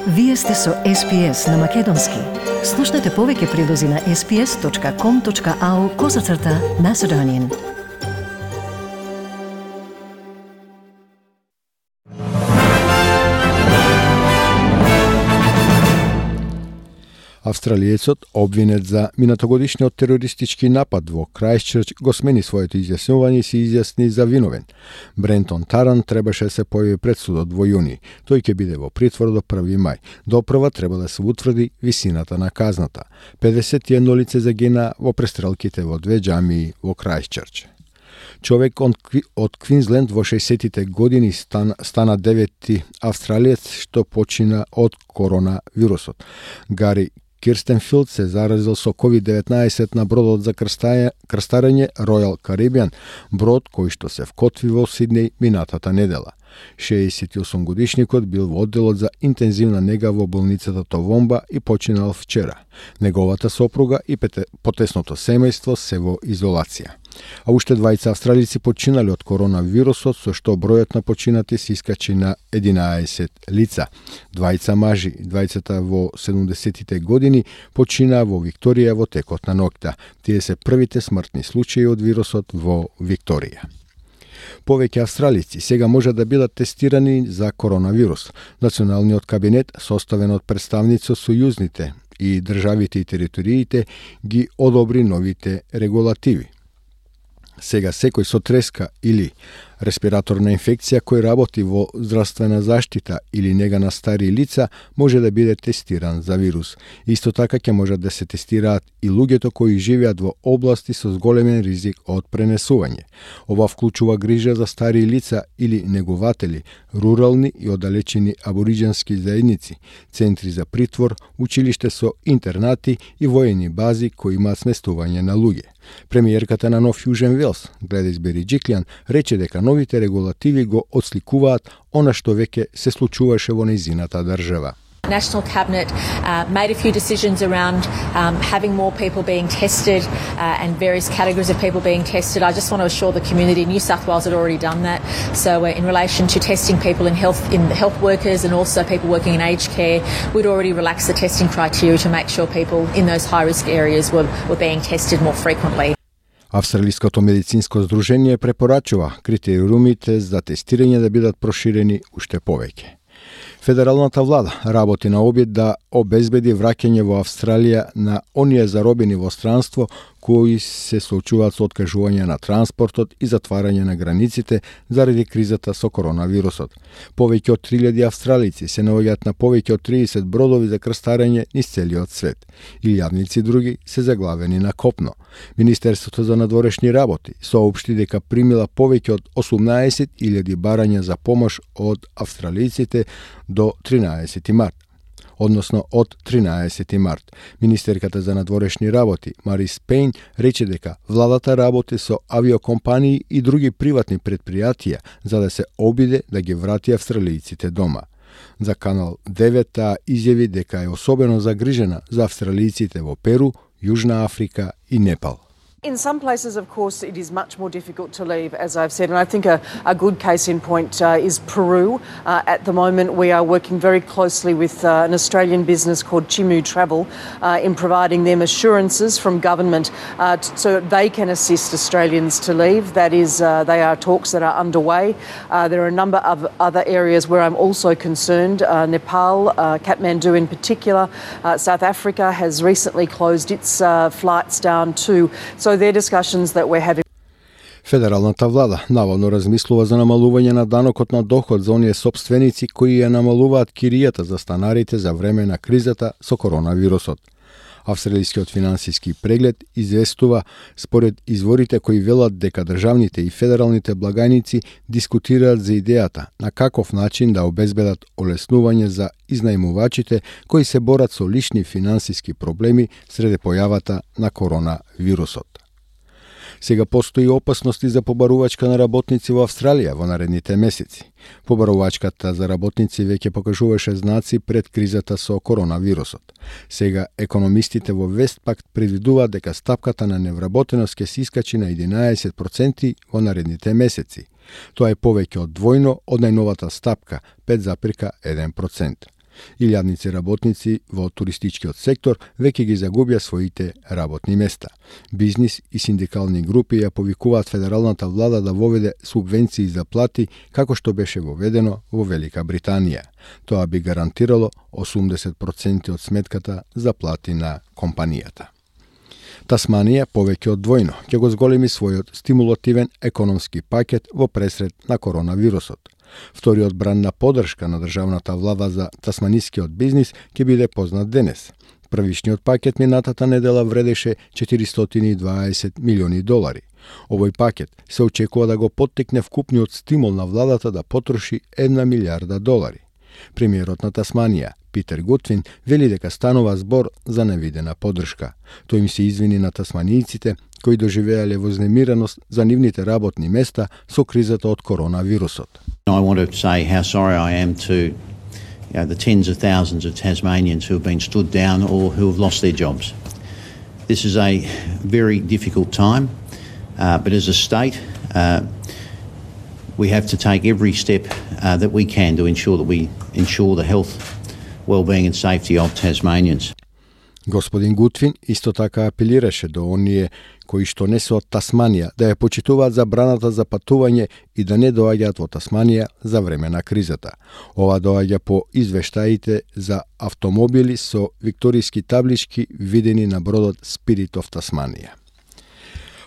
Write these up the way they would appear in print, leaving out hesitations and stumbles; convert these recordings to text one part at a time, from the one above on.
Вие сте со SPS на Македонски. Слушнете повеќе прилози на sps.com.au/Macedonian. Австралиецот, обвинет за минатогодишниот терористички напад во Крајстчрч, го смени своето изјаснување и се изјасни за виновен. Брентон Таран требаше да се појави пред судот во јуни. Тој ќе биде во притвор до 1 мај. Допрва треба да се утврди висината на казната. 51 лице загина во престрелките во две џамии во Крајстчрч. Човек од Квинсленд во 60-тите години стана 9-ти австралиец што почина од коронавирусот. Гари Кирстенфилд се заразил со COVID-19 на бродот за крстарење Royal Caribbean, брод кој што се вкотви во Сиднеј минатата недела. 68 годишникот бил во одделот за интензивна нега во болницата Товомба и починал вчера. Неговата сопруга и потесното семејство се во изолација. А уште двајца австралици починали од коронавирусот, со што бројот на починати се искачи на 11 лица. Двајца мажи, двајцата во 70-тите години, починаа во Викторија во текот на ноќта. Тие се првите смртни случаи од вирусот во Викторија. Повеќе австралици сега може да бидат тестирани за коронавирус. Националниот кабинет, составен од представници од сојузните и државите и териториите, ги одобри новите регулативи. Сега секој со треска или респираторна инфекција кој работи во здравствена заштита или нега на стари лица може да биде тестиран за вирус. Исто така ќе можат да се тестираат и луѓето кои живеат во области со зголемен ризик од пренесување. Ова вклучува грижа за стари лица или негователи, рурални и оддалечени абориџенски заедници, центри за притвор, училиште со интернати и воени бази кои имаат сместување на луѓе. Премиерката на Нов Јужен Велс, Гледис Бериџиклјан, рече дека новите регулативи го отсликуваат она што веќе се случуваше во нејзината држава. National Cabinet made a few decisions around having more people being tested and various categories of people being tested. I just want to assure the community New South Wales had already done that. So in relation to testing people in health workers and also people working in aged care, we'd already relaxed the testing criteria to make sure people in those high-risk areas were being tested more frequently. Австралиското медицинско здружение препорачува критериумите за тестирање да бидат проширени уште повеќе. Федералната влада работи на обид да обезбеди враќање во Австралија на оние заробени во странство кои се соочуваат со откажување на транспортот и затварање на границите заради кризата со коронавирусот. Повеќе од 3000 австралици се наоѓаат на повеќе од 30 бродови за крстарење низ целиот свет. Илјадници други се заглавени на копно. Министерството за надворешни работи соопшти дека примила повеќе од 18.000 барања за помош од австралиците до 13 март. Односно од 13 март. Министерката за надворешни работи, Марис Пейн, рече дека владата работи со авиокомпании и други приватни предпријатија за да се обиде да ги врати австралијците дома. За Канал 9 изјави дека е особено загрижена за австралијците во Перу, Јужна Африка и Непал. In some places, of course, it is much more difficult to leave, as I've said, and I think a good case in point is Peru. At the moment, we are working very closely with an Australian business called Chimu Travel in providing them assurances from government so they can assist Australians to leave. That is, they are talks that are underway. There are a number of other areas where I'm also concerned. Nepal, Kathmandu in particular. South Africa has recently closed its flights down too. So they're discussions that we're having. Федералната влада наводно размислува за намалување на данокот на доход за оние сопственици кои ја намалуваат киријата за станарите за време на кризата со коронавирусот. Австралискиот финансиски преглед известува според изворите кои велат дека државните и федералните благајници дискутираат за идејата на каков начин да обезбедат олеснување за изнајмувачите кои се борат со лични финансиски проблеми среде појавата на коронавирусот. Сега постои опасности за побарувачка на работници во Австралија во наредните месеци. Побарувачката за работници веќе покажуваше знаци пред кризата со коронавирусот. Сега економистите во Вестпакт предвидуваат дека стапката на невработеност ќе се искачи на 11% во наредните месеци. Тоа е повеќе од двојно од најновата стапка 5,1%. Илјадници работници во туристичкиот сектор веќе ги загубија своите работни места. Бизнис и синдикални групи ја повикуваат федералната влада да воведе субвенции за плати како што беше воведено во Велика Британија. Тоа би гарантирало 80% од сметката за плати на компанијата. Тасманија повеќе од двојно ќе го зголеми својот стимулативен економски пакет во пресред на коронавирусот. Вториот бран на поддршка на државната влада за тасманискиот бизнис ќе биде познат денес. Првишниот пакет минатата недела вредеше $420 милиони. Овој пакет се очекува да го поттикне вкупниот стимул на владата да потроши $1 милијарда. Премиерот на Тасманија, Питер Гутвин, вели дека станува збор за невидена поддршка. Тој им се извини на тасманијците кои доживеале вознемиреност за нивните работни места со кризата од коронавирусот. I want to say how sorry I am to the tens of thousands of Tasmanians who have been stood down or who have lost their jobs. This is a very difficult time, but as a state, we have to take every step that we can to ensure that we ensure the health, well-being and safety of Tasmanians. Господин Гутвин исто така апелираше до оние кои што не се од Тасманија да ја почитуваат забраната за патување и да не доаѓаат во Тасманија за време на кризата. Ова доаѓа по извештаите за автомобили со викторијски таблички видени на бродот Spirit of Tasmania.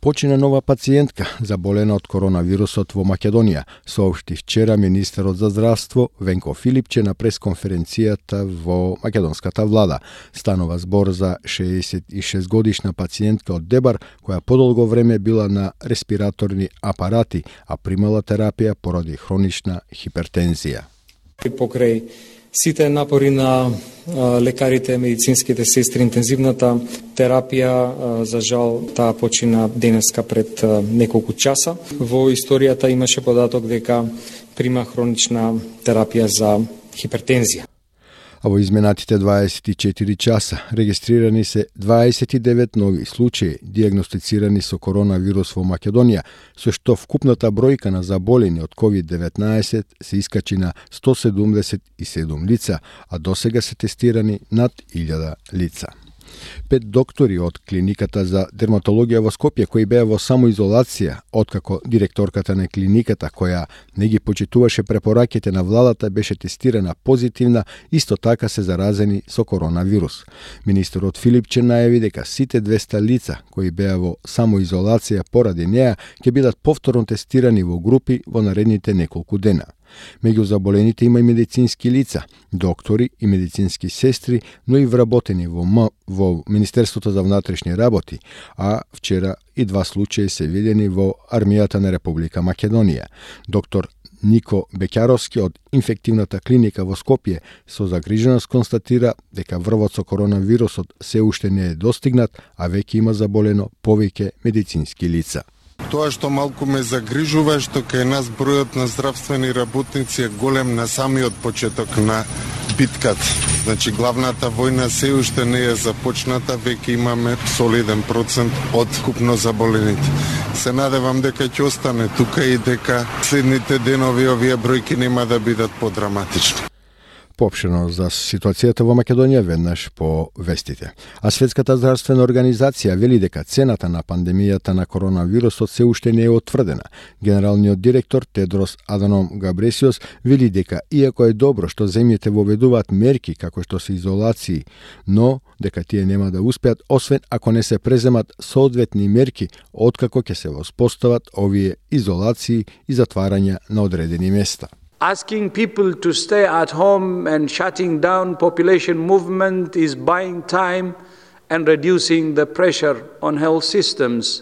Почина нова пациентка заболена од коронавирусот во Македонија, соопшти вчера министерот за здравство Венко Филипче на пресконференцијата во македонската влада. Станува збор за 66 годишна пациентка од Дебар која подолго време била на респираторни апарати, а примала терапија поради хронична хипертензија. Покрај сите напори на лекарите, медицинските сестри, интензивната терапија, за жал, таа почина денеска пред неколку часа. Во историјата имаше податок дека прима хронична терапија за хипертензија. А во изминатите 24 часа регистрирани се 29 нови случаи диагностицирани со коронавирус во Македонија, со што вкупната бројка на заболени од COVID-19 се искачи на 177 лица, а досега се тестирани над 1000 лица. 5 доктори од клиниката за дерматологија во Скопје кои беа во самоизолација, откако директорката на клиниката која не ги почитуваше препораките на владата беше тестирана позитивна, исто така се заразени со коронавирус. Министерот Филипче најави дека сите 200 лица кои беа во самоизолација поради неа ќе бидат повторно тестирани во групи во наредните неколку дена. Меѓу заболените има и медицински лица, доктори и медицински сестри, но и вработени во Министерството за внатрешни работи, а вчера и 2 случаи се видени во армијата на Република Македонија. Доктор Нико Бекјаровски од инфективната клиника во Скопје со загриженост констатира дека врвот со коронавирусот се уште не е достигнат, а веќе има заболено повеќе медицински лица. Тоа што малку ме загрижува е што кај нас бројот на здравствени работници е голем на самиот почеток на битката. Значи главната војна се уште не е започната, веќе имаме солиден процент од купно заболените. Се надевам дека ќе остане тука и дека следните денови овие бројки нема да бидат подраматични. Поопштено за ситуацијата во Македонија веднаш по вестите. А Светската здравствена организација вели дека цената на пандемијата на коронавирусот се уште не е утврдена. Генералниот директор Тедрос Аданом Габресиос вели дека иако е добро што земјите воведуваат мерки како што се изолации, но дека тие нема да успеат освен ако не се преземат соодветни мерки откако ќе се воспостават овие изолации и затварања на одредени места. Asking people to stay at home and shutting down population movement is buying time and reducing the pressure on health systems.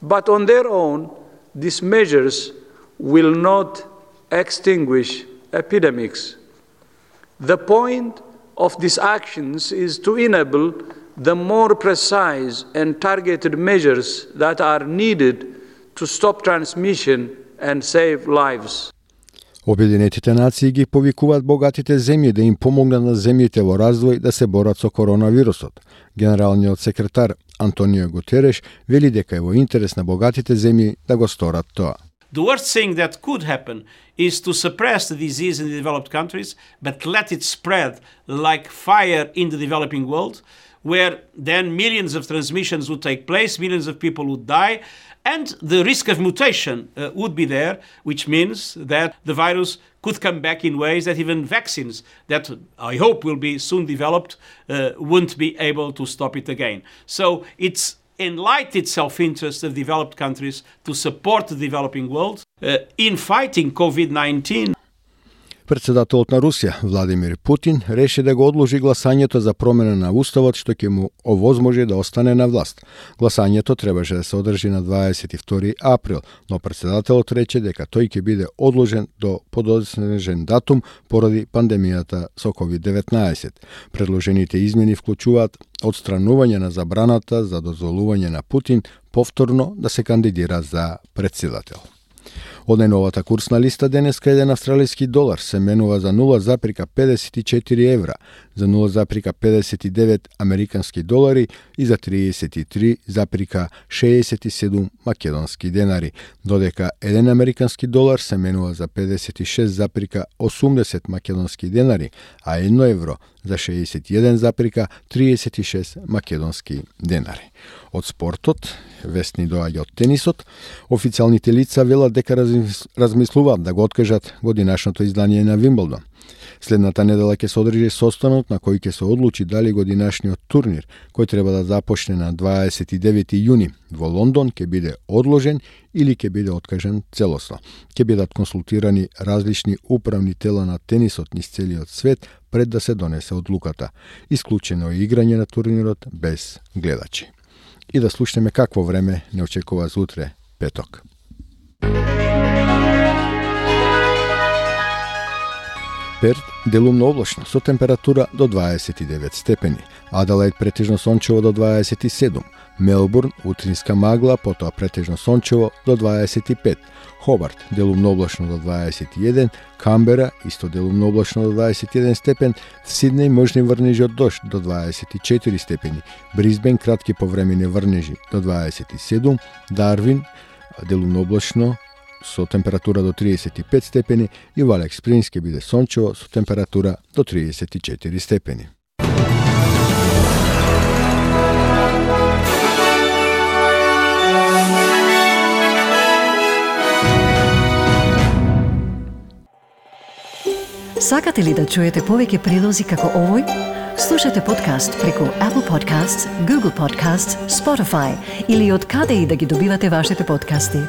But on their own, these measures will not extinguish epidemics. The point of these actions is to enable the more precise and targeted measures that are needed to stop transmission and save lives. Обединетите нации ги повикуваат богатите земји да им помогнат на земјите во развој да се борат со коронавирусот. Генералниот секретар Антонио Гутереш вели дека е во интерес на богатите земји да го сторат тоа. The worst thing that could happen is to suppress the disease in the developed countries, but let it spread like fire in the developing world, where then millions of transmissions would take place, millions of people would die, and the risk of mutation would be there, which means that the virus could come back in ways that even vaccines that I hope will be soon developed won't be able to stop it again. So it's enlightened self-interest of developed countries to support the developing world in fighting COVID-19. Председателот на Русија, Владимир Путин, реши да го одложи гласањето за промена на уставот што ќе му овозможи да остане на власт. Гласањето требаше да се одржи на 22 април, но председателот рече дека тој ќе биде одложен до подоцнежен датум поради пандемијата со COVID-19. Предложените измени вклучуваат отстранување на забраната за дозволување на Путин повторно да се кандидира за претседател. Од најновата курсна листа денеска еден австралиски долар се менува за 0,54 евра, за 0,59 американски долари и за 33,67 македонски денари, додека еден американски долар се менува за 56,80 македонски денари, а 1 евро за 61,36 македонски денари. Од спортот, вестни доаѓа од тенисот, официјалните лица велат дека размислуваат да го откажат годинашното издание на Вимблдон. Следната недела ќе се одржи состанок на кој ќе се одлучи дали годинашниот турнир, кој треба да започне на 29 јуни во Лондон, ќе биде одложен или ќе биде откажен целосно. Ќе бидат консултирани различни управни тела на тенисот низ целиот свет пред да се донесе одлуката. Исклучено е играње на турнирот без гледачи. И да слушнеме какво време не очекува за утре, петок. Перт делумно облачно со температура до 29 степени, Аделаид претежно сончево до 27, Мелбурн утринска магла, потоа претежно сончево до 25, Хобарт делумно облачно до 21, Камбера исто делумно облачно до 21 степен, Сиднеј можни врнежи од дожд до 24 степени, Брисбен кратки повремени врнежи до 27, Дарвин делумно облачно со температура до 35 степени и во Алекс Спрингс ќе биде сончево со температура до 34 степени. Сакате ли да чуете повеќе прилози како овој? Слушате подкаст преку Apple Podcasts, Google Podcasts, Spotify или од каде и да ги добивате вашите подкасти.